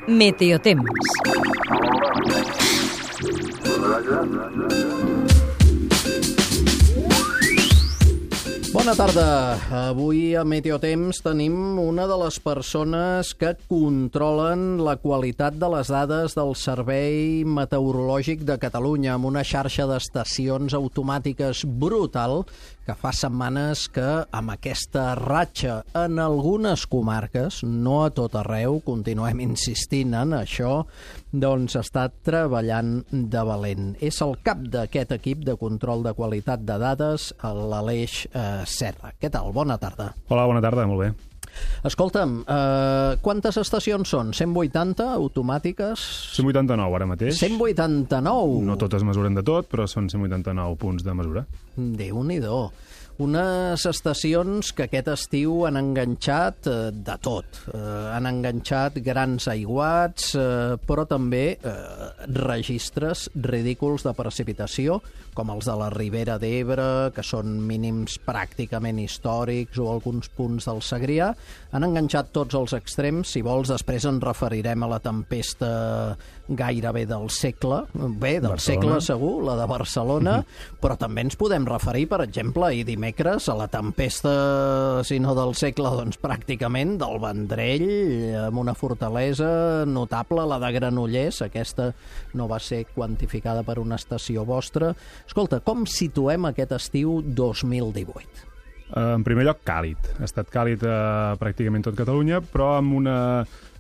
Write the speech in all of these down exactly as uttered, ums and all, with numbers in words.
Meteotemps. Bona tarda. Avui a Meteotemps tenim una de les persones que controlen la qualitat de les dades del Servei Meteorològic de Catalunya amb una xarxa d'estacions automàtiques brutal que fa setmanes que amb aquesta ratxa en algunes comarques, no a tot arreu, continuem insistint en això, doncs està treballant de valent. És el cap d'aquest equip de control de qualitat de dades, l'Aleix eh, Serra. Què tal? Bona tarda. Hola, bona tarda, molt bé. Escolta'm, eh, quantes estacions són? cent vuitanta automàtiques? cent vuitanta-nou ara mateix. cent vuitanta-nou? No totes mesuren de tot, però són cent vuitanta-nou punts de mesura. Déu-n'hi-do. Unes estacions que aquest estiu han enganxat eh, de tot. Eh, han enganxat grans aiguats, eh, però també eh, registres ridículs de precipitació, com els de la Ribera d'Ebre, que són mínims pràcticament històrics, o alguns punts del Segrià. Han enganxat tots els extrems. Si vols, després ens referirem a la tempesta gairebé del segle. Bé, del Barcelona. segle segur, la de Barcelona, però també ens podem referir, per exemple, ahir dimecres, a la tempesta, si no del segle, doncs pràcticament del Vendrell, amb una fortalesa notable, la de Granollers. Aquesta no va ser quantificada per una estació vostra. Escolta, com situem aquest estiu dos mil divuit? En primer lloc, càlid. Ha estat càlid a pràcticament tot Catalunya, però amb una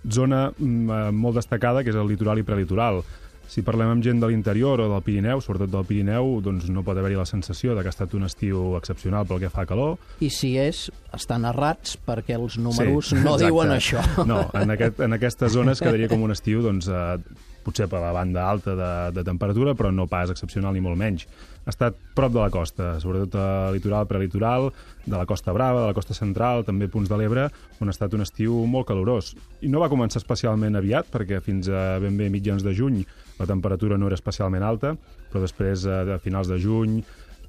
zona molt destacada, que és el litoral i prelitoral. Si parlem amb gent de l'interior o del Pirineu, sobretot del Pirineu, doncs no pot haver-hi la sensació de que ha estat un estiu excepcional pel que fa a calor. I si és, estan errats perquè els números sí, no exacte. diuen això. No, en, aquest, en aquestes zones quedaria com un estiu, doncs, eh, potser per la banda alta de, de temperatura, però no pas excepcional ni molt menys. Ha estat prop de la costa, sobretot a litoral, prelitoral, de la Costa Brava, de la costa central, també punts de l'Ebre, on ha estat un estiu molt calorós. I no va començar especialment aviat, perquè fins a ben bé mitjans de juny la temperatura no era especialment alta, però després, a finals de juny,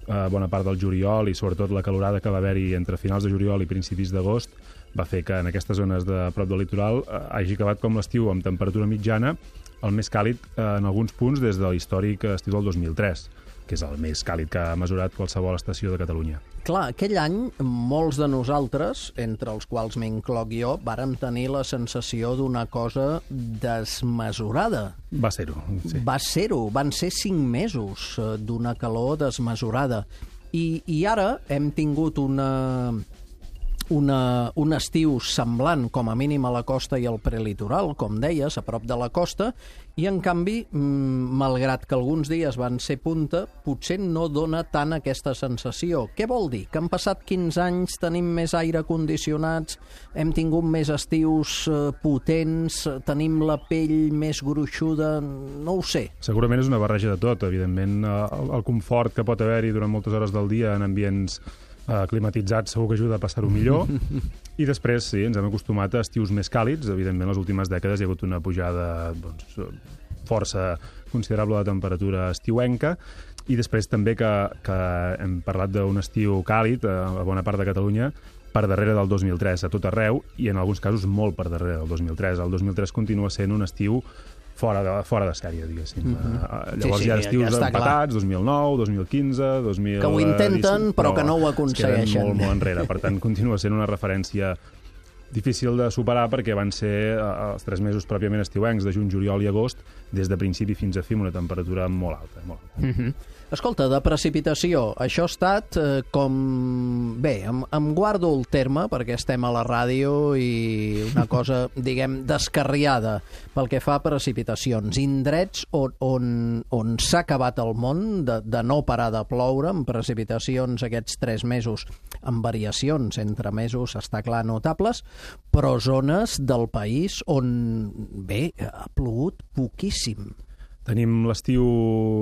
a bona part del juliol i sobretot la calorada que va haver-hi entre finals de juliol i principis d'agost va fer que en aquestes zones de prop del litoral hagi acabat com l'estiu amb temperatura mitjana, el més càlid en alguns punts des de l'històric estiu del dos mil tres, que és el més càlid que ha mesurat qualsevol estació de Catalunya. Clar, aquell any molts de nosaltres, entre els quals m'incloc jo, vàrem tenir la sensació d'una cosa desmesurada. Va ser-ho, sí. Va ser-ho, van ser cinc mesos d'una calor desmesurada. I, i ara hem tingut una... Una, un estiu semblant, com a mínim a la costa i al prelitoral, com deies, a prop de la costa, i en canvi, malgrat que alguns dies van ser punta, potser no dona tant aquesta sensació. Què vol dir? Que han passat quinze anys, tenim més aire condicionats, hem tingut més estius potents, tenim la pell més gruixuda, no ho sé. Segurament és una barreja de tot, evidentment. El, el confort que pot haver-hi durant moltes hores del dia en ambients Uh, climatitzats segur que ajuda a passar-ho millor. I després, sí, ens hem acostumat a estius més càlids. Evidentment, les últimes dècades hi ha hagut una pujada doncs, força considerable de temperatura estiuenca. I després també que, que hem parlat d'un estiu càlid a bona part de Catalunya per darrere del dos mil tres a tot arreu i en alguns casos molt per darrere del dos mil tres. El dos mil tres continua sent un estiu fora de, fora de sèrie, diguéssim. Uh-huh. Uh, llavors sí, sí, hi ha estius ja empatats, clar. dos mil nou, dos mil quinze, dos mil... Que ho intenten, però, però que no ho aconsegueixen. Es queden molt, molt enrere. Per tant, continua sent una referència difícil de superar perquè van ser uh, els tres mesos pròpiament estiuencs de juny, juliol i agost, des de principi fins a fi, una temperatura molt alta. Molt alta. Uh-huh. Escolta, de precipitació, això ha estat eh, com... Bé, em, em guardo el terme perquè estem a la ràdio i una cosa, diguem, descarriada pel que fa a precipitacions. Indrets on, on, on s'ha acabat el món de, de no parar de ploure, amb precipitacions aquests tres mesos, amb variacions entre mesos, està clar, notables, però zones del país on, bé, ha plogut poquíssim. Tenim l'estiu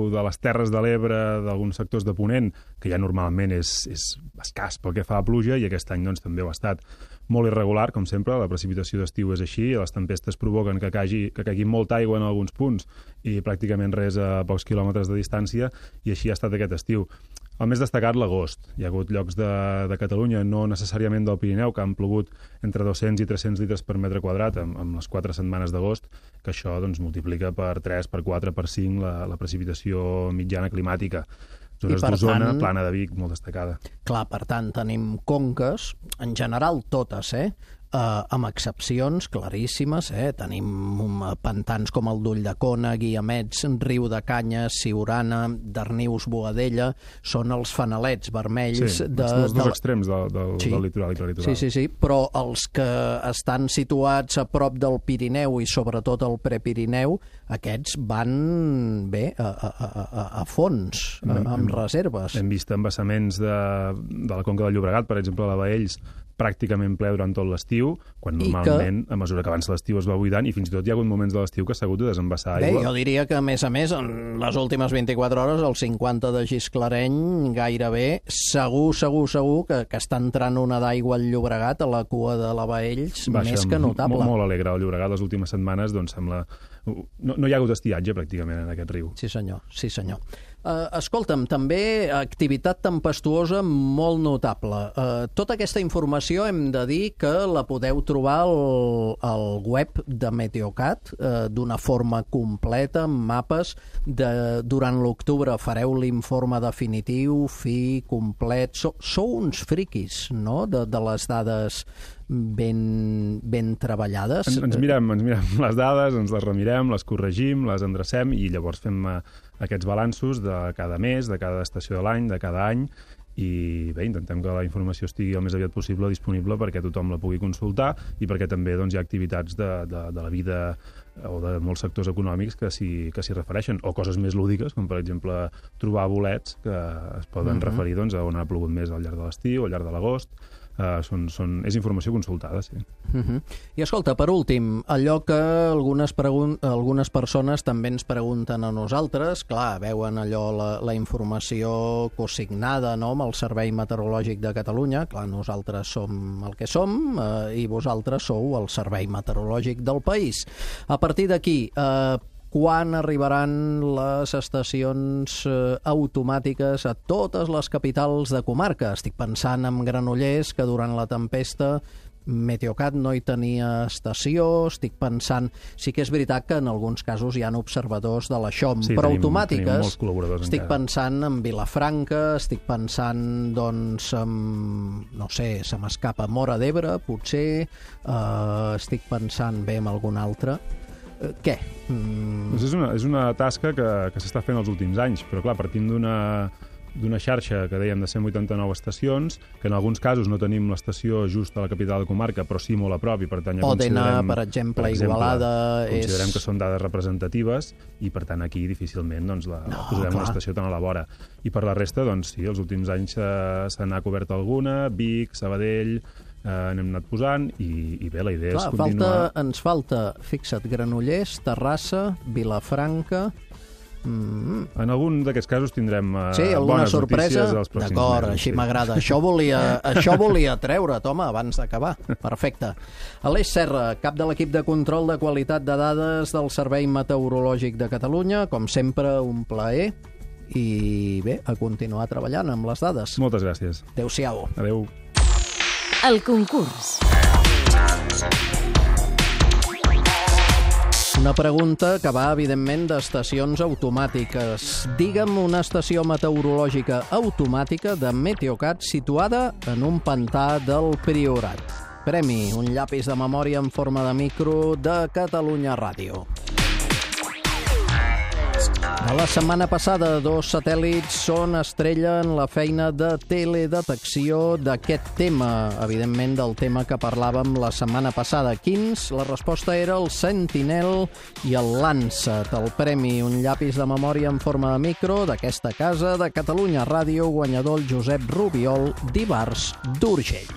de les Terres de l'Ebre, d'alguns sectors de Ponent, que ja normalment és, és escàs pel que fa a pluja, i aquest any doncs, també ho ha estat molt irregular, com sempre. La precipitació d'estiu és així, les tempestes provoquen que caigui, que caigui molta aigua en alguns punts i pràcticament res a pocs quilòmetres de distància, i així ha estat aquest estiu. El més destacat, l'agost. Hi ha hagut llocs de, de Catalunya, no necessàriament del Pirineu, que han plogut entre dos-cents i tres-cents litres per metre quadrat amb, amb les quatre setmanes d'agost, que això doncs, multiplica per tres, per quatre, per cinc la, la precipitació mitjana climàtica. Zones d'Osona, tant, Plana de Vic, molt destacada. Clar, per tant, tenim conques, en general totes, eh? Uh, amb excepcions claríssimes, eh? Tenim um, pantans com el d'Ulldecona, Guiamets, Riu de Canyes, Siurana, Darnius, Boadella, són els fanalets vermells. Sí, de, els dos de... extrems del, del, sí. del litoral i prelitoral. Sí, sí, sí, però els que estan situats a prop del Pirineu i sobretot al Prepirineu, aquests van bé a, a, a, a fons, a, amb hem, reserves. Hem vist embassaments de, de la Conca del Llobregat, per exemple, a la Baells, pràcticament ple durant tot l'estiu, quan normalment, que... a mesura que avança l'estiu, es va buidant, i fins i tot hi ha hagut moments de l'estiu que s'ha hagut de desembassar aigua. Bé, jo diria que, a més a més, en les últimes vint-i-quatre hores, el cinquanta de Gisclareny, gairebé, segur, segur, segur, que, que està entrant una d'aigua al Llobregat, a la cua de la Baells, Baixa, més que notable. Molt, molt alegre. El Llobregat, les últimes setmanes, doncs, sembla... No, no hi ha hagut estiatge, pràcticament, en aquest riu. Sí, senyor, sí, senyor. Uh, escolta'm, també activitat tempestuosa molt notable. Uh, tota aquesta informació hem de dir que la podeu trobar al, al web de Meteocat uh, d'una forma completa, amb mapes. De, durant l'octubre fareu l'informe definitiu, fi, complet. So, sou uns friquis, no?, de, de les dades ben, ben treballades. Ens, ens, mirem, ens mirem les dades, ens les remirem, les corregim, les endrecem i llavors fem uh, aquests balanços de cada mes, de cada estació de l'any, de cada any, i bé, intentem que la informació estigui el més aviat possible disponible perquè tothom la pugui consultar i perquè també doncs, hi ha activitats de, de, de la vida o de molts sectors econòmics que s'hi que s'hi refereixen, o coses més lúdiques, com per exemple trobar bolets que es poden uh-huh. referir doncs, a on ha plogut més al llarg de l'estiu o al llarg de l'agost. Uh, són, són, és informació consultada, sí. Uh-huh. I escolta, per últim, allò que algunes, pregun- algunes persones també ens pregunten a nosaltres, clar, veuen allò, la, la informació consignada, no?, amb el Servei Meteorològic de Catalunya, clar, nosaltres som el que som uh, i vosaltres sou el Servei Meteorològic del país. A partir d'aquí, eh, quan arribaran les estacions eh, automàtiques a totes les capitals de comarca? Estic pensant en Granollers, que durant la tempesta Meteocat no hi tenia estació. Estic pensant... Sí que és veritat que en alguns casos hi ha observadors de la Xom, sí, però tenim, automàtiques... Tenim molts col·laboradors estic encara. pensant en Vilafranca, estic pensant, doncs, en... no sé, se m'escapa Móra d'Ebre, potser. Eh, estic pensant bé en algun altre. Què? Mm. Doncs és, una, és una tasca que, que s'està fent els últims anys, però clar, partint d'una d'una xarxa que dèiem de cent vuitanta-nou estacions, que en alguns casos no tenim l'estació just a la capital de comarca, però sí molt a prop, i per tant ja Òdena, considerem... per exemple, per exemple Igualada... Considerem és... que són dades representatives i per tant aquí difícilment doncs, la, no, posarem clar. una estació tan a la vora. I per la resta, doncs sí, els últims anys eh, se n'ha cobert alguna, Vic, Sabadell... Eh, n'hem anat posant i, i bé, la idea Clar, és continuar... Falta, ens falta, fixa't, Granollers, Terrassa, Vilafranca... Mm. En algun d'aquests casos tindrem uh, sí, bones sorpresa? notícies els pròxims mesos. D'acord, així sí. m'agrada. Això volia, això volia treure, home, abans d'acabar. Perfecte. Aleix Serra, cap de l'equip de control de qualitat de dades del Servei Meteorològic de Catalunya. Com sempre, un plaer. I bé, a continuar treballant amb les dades. Moltes gràcies. Adéu-siau. Adéu. El concurs. Una pregunta que va, evidentment, d'estacions automàtiques. Digue'm una estació meteorològica automàtica de Meteocat situada en un pantà del Priorat. Premi, un llapis de memòria en forma de micro de Catalunya Ràdio. A la setmana passada, dos satèl·lits són estrella en la feina de teledetecció d'aquest tema, evidentment del tema que parlàvem la setmana passada. Quins? La resposta era el Sentinel i el Landsat. El premi, un llapis de memòria en forma de micro d'aquesta casa de Catalunya Ràdio, guanyador el Josep Rubiol d'Ivars d'Urgell.